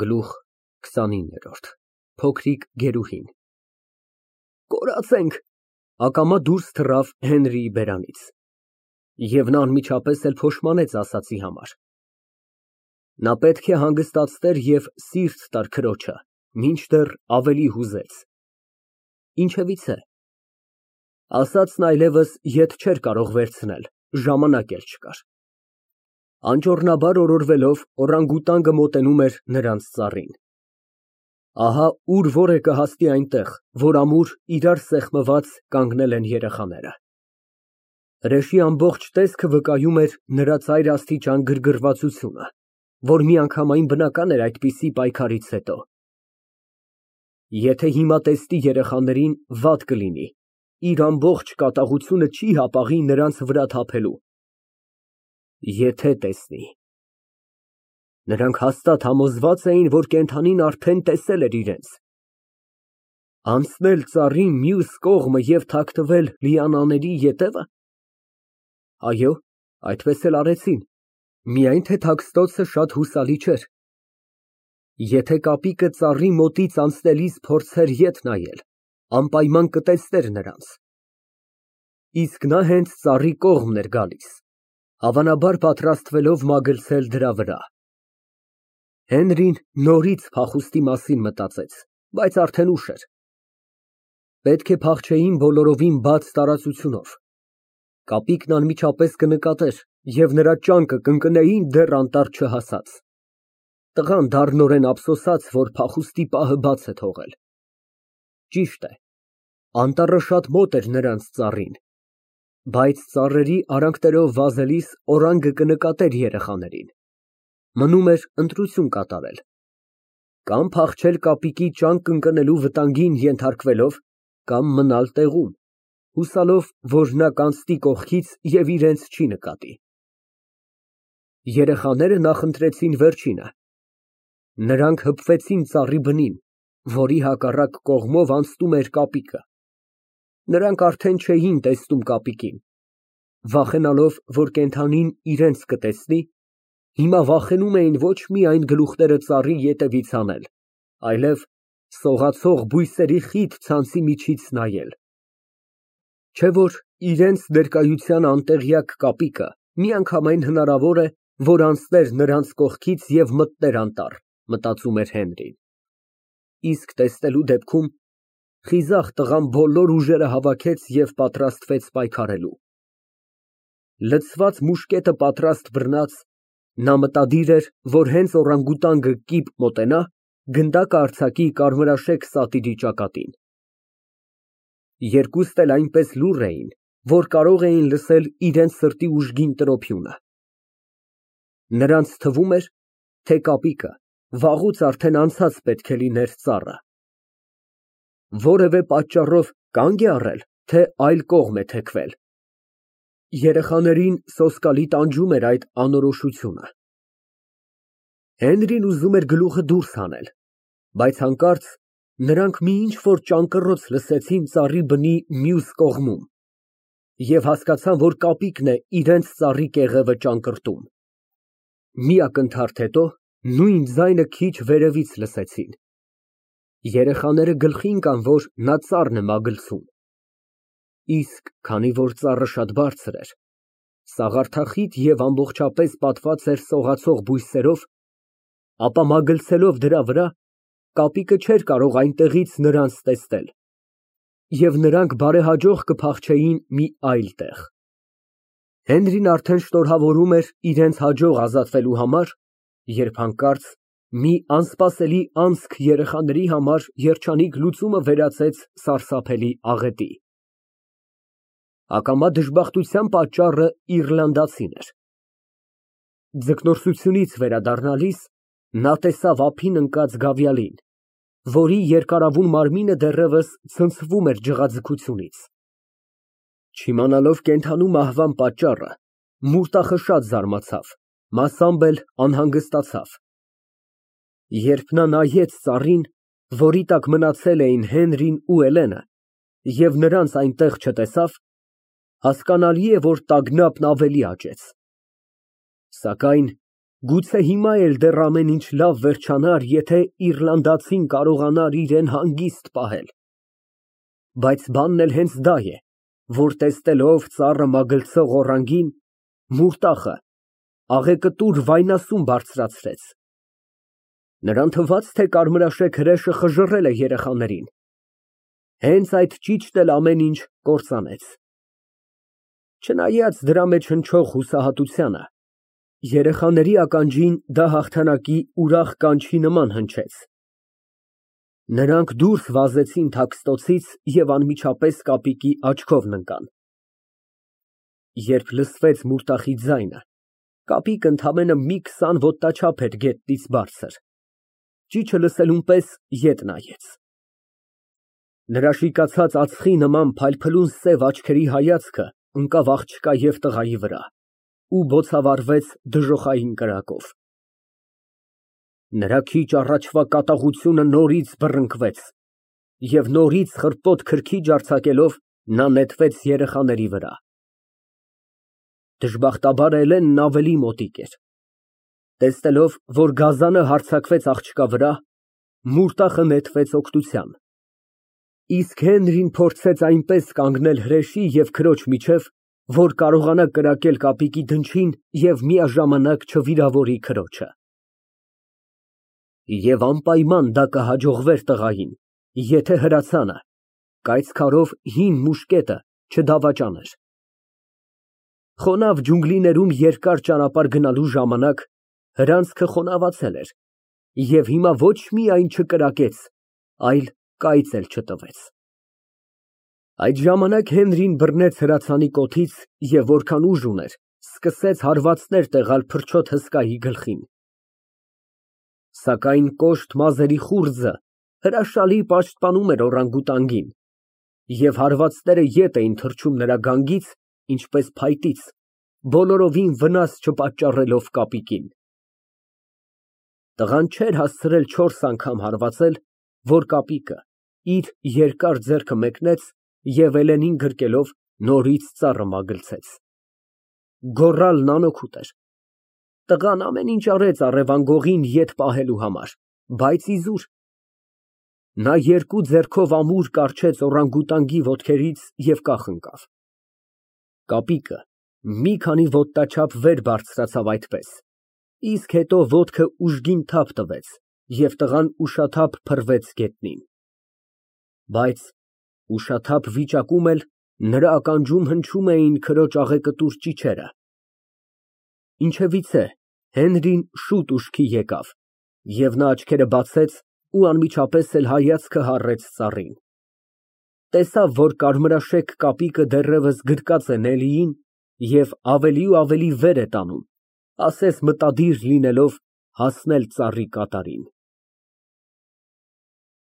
Գլուխ 29 Փոքրիկ գերուհին Կորացենք, ակամա դուրս թռավ Հենրիի բերանից, և նա անմիջապես էլ փոշմանեց ասածի համար։ Նա պետք է հանգստացներ և սիրտ տար քրոջը, մինչդեռ ավելի հուզեց։ Ինչևիցե, ասածն այլևս ետ չէր կարող վերցնել, ժամանակ էլ չկար։ Անճոռնաբար օրորվելով, օրանգուտանգը մոտենում էր նրանց ծառին։ Ահա ուր որ է կհասնի այնտեղ, որ ամուր իրար սեղմված կանգնել են երեխաները։ Հրեշի ամբողջ տեսքը վկայում էր նրա ծայրաստիճան գրգռվածությունը, որ միանգամայն բնական էր այդպիսի պայքարից հետո։ Եթե հիմա տեսնի երեխաներին, վատ կլինի, իր ամբողջ կատաղությունը չի հապաղի նրանց վրա թափելու։ Եթե տեսնի… Նրանք հաստատ համոզված էին, որ կենդանին արդեն տեսել էր իրենց։ Անցնել ծառի մյուս կողմը և թաքնվել լիանաների ետևը։ Այո, այդպես էլ արեցին, միայն թե թաքստոցը շատ հուսալի չէր։ Եթե կապիկը ծառի մոտից անցնելիս փորձեր ետ նայել, անպայման կտեսներ նրանց։ Իսկ նա հենց ծառի կողմն էր գալիս, հավանաբար պատրաստվելով մագլցել դրա վրա։ Հենրին նորից փախուստի մասին մտածեց, բայց արդեն ուշ էր։ Պետք է փախչեին բոլորովին բաց տարածությունով։ Կապիկն անմիջապես կնկատեր և նրա ճանկը կընկնեին դեռ անտառ չհասած։ Տղան դառնորեն ափսոսաց, որ փախուստի պահը բաց է թողել։ Ճիշտ է, անտառը շատ մոտ էր նրանց ծառին, բայց ծառերի արանքներով վազելիս օրանգը կնկատեր երեխաներին։ Մնում էր ընտրություն կատարել. կամ փախչել կապիկի ճանկն ընկնելու վտանգին ենթարկվելով, կամ մնալ տեղում, հուսալով, որ նա կանցնի կողքից և իրենց չի նկատի։ Երեխաները նախընտրեցին վերջինը։ Նրանք հպվեցին ծառի բնին, որի հակառակ կողմով անցնում էր կապիկը։ Նրանք արդեն չէին տեսնում կապիկին։ Վախենալով, որ կենդանին իրենց կտեսնի, հիմա վախենում էին ոչ միայն գլուխները ծառի ետևից հանել, այլև սողացող բույսերի խիտ ցանցի միջից նայել։ Չէ՞ որ իրենց ներկայության անտեղյակ կապիկը միանգամայն հնարավոր է, որ անցներ նրանց կողքից և մտներ անտառ, մտածում էր Հենրին։ Իսկ տեսնելու դեպքում խիզախ տղան բոլոր ուժերը հավաքեց և պատրաստվեց պայքարելու։ Լցված մուշկետը պատրաստ բռնած, նա մտադիր էր, որ հենց օրանգուտանգը կիպ մոտենա, գնդակը արձակի կարմրաշեք սատիրի ճակատին։ Երկուստ էլ այնպես լուռ էին, որ կարող էին լսել իրենց սրտի ուժգին տրոփյունը։ Նրանց թվում էր, թե կապիկը վաղուց արդեն անցած պետք է լիներ ծառը։ Որևէ պատճառով կանգ է առել, թե այլ կողմ է թեքվել։ Երեխաներին սոսկալի տանջում էր այդ անորոշությունը։ Հենրին ուզում էր գլուխը դուրս հանել, բայց հանկարծ նրանք մի ինչ֊որ ճանկռոց լսեցին ծառի բնի մյուս կողմում և հասկացան, որ կապիկն է իրենց ծառի կեղևը ճանկռտում։ Մի ակնթարթ հետո նույն ձայնը քիչ վերևից լսեցին։ Երեխաները գլխի ընկան, որ նա ծառն է մագլցում։ Իսկ քանի որ ծառը շատ բարձր էր, սաղարթախիտ և ամբողջապես պատված էր սողացող բույսերով, ապա մագլցելով դրա վրա, կապիկը չէր կարող այնտեղից նրանց տեսնել, և նրանք բարեհաջող կփախչեին մի այլ տեղ։ Հենրին արդեն շնորհավորում էր իրենց հաջող ազատվելու համար, երբ հանկարծ մի անսպասելի անցք երեխաների համար երջանիկ լուծումը վերածեց սարսափելի աղետի։ Ակամա դժբախտության պատճառը իռլանդացին էր։ Ձկնորսությունից վերադառնալիս նա տեսավ ափին ընկած գավիալին, որի երկարավուն մարմինը դեռևս ցնցվում էր ջղաձգությունից։ Չիմանալով կենդանու մահվան պատճառը, մուրտախշած զարմացավ, մասամբ էլ անհանգստացավ։ Երբ նա նայեց ծառին, որի տակ մնացել էին Հենրին ու Էլենը, և նրանց այնտեղ չտեսավ, հասկանալի է, որ տագնապն ավելի աճեց։ Սակայն Գուցե հիմա էլ դեռ ամեն ինչ լավ վերջանար, եթե իռլանդացին կարողանար իրան հանգիստ պահել։ Բայց բանն էլ հենց դա է, որ տեսնելով ծառը մագլցող օրանգին, Մուրտախը աղեկտուր վայնասուն բարձրացրեց։ Նրան թվաց, թե կարմրաշեկ հրեշը խժռել է երեխաներին։ Հենց այդ ճիճն էլ ամեն ինչ կործանեց։ Չնայած դրա մեջ հնչող հուսահատությանը, երեխաների ականջին դա հաղթանակի ուրախ կանչի նման հնչեց։ Նրանք դուրս վազեցին թաքստոցից և անմիջապես կապիկի աչքովն ընկան։ Երբ լսվեց Մուրտախի ձայնը, կապիկը ընդամենը մի 20 ոտնաչափ էր գետնից բարձր։ Ճիչը լսելուն պես ետ նայեց։ Նրա շիկացած ածխի նման փայլփլուն սև աչքերի հայացքը ընկավ աղջկա և տղայի վրա ու բոցավառվեց դժոխային կրակով։ Նրա քիչ առաջվա կատաղությունը նորից բռնկվեց, և նորից խռպոտ քրքիջ արձակելով, նա նետվեց երեխաների վրա։ Դժբախտաբար Էլենն ավելի մոտիկ էր։ Տեսնելով, որ գազանը հարձակվեց աղջկա վրա, Մուրտախը նետվեց օգնության, իսկ Հենրին փորձեց այնպես կանգնել հրեշի և քրոջ միջև, որ կարողանա կրակել կապիկի դնչին և միաժամանակ չվիրավորի քրոջը։ Եվ անպայման դա կհաջողվեր տղային, եթե հրացանը, կայծքարով հին մուշկետը չդավաճաներ։ Խոնավ ջունգլիներում երկար ճանապարհ գնալու ժամանակ հրանցքը խոնավացել էր, և հիմա ոչ միայն չկրակեց, այլ կայծ էլ չտվեց։ Այդ ժամանակ Հենրին բռնեց հրացանի կոթից և որքան ուժ ուներ, սկսեց հարվածներ տեղալ փրչոտ հսկայի գլխին։ Սակայն կոշտ մազերի խուრძը հրաշալի պաշտպանում էր օրանգուտանգին, և հարվածները ետ էին թռչում նրա գանգից, ինչպես փայտից, բոլորովին վնաս չպատճառելով կապիկին։ Տղան չէր հասցրել 4 անգամ հարվածել, որ կապիկը իր երկար ձեռքը մեկնեց և Էլենին գրկելով նորից ծառը մագլցեց։ Գոռալն անօգուտ էր։ Տղան ամեն ինչ արեց առևանգողին ետ պահելու համար, բայց իզուր։ Նա երկու ձեռքով ամուր կառչեց օրանգուտանգի ոտքերից և կախ ընկավ։ Կապիկը մի քանի ոտնաչափ վեր բարձրացավ այդպես, իսկ հետո ոտքը ուժգին թափ տվեց, և տղան ուշաթափ փռվեց գետնին։ Բայց ուշաթափ վիճակում էլ նրա ականջում հնչում էին քրոջ աղեկտուր ճիչերը։ Ինչևիցե, Հենրին շուտ ուշքի եկավ, և նա աչքերը բացեց ու անմիջապես էլ հայացքը հառեց ծառին։ Տեսավ, որ կարմրաշեկ կապիկը դեռևս գրկած է Նելիին և ավելի ու ավելի վեր է տանում, ասես մտադիր լինելով հասնել ծառի կատարին։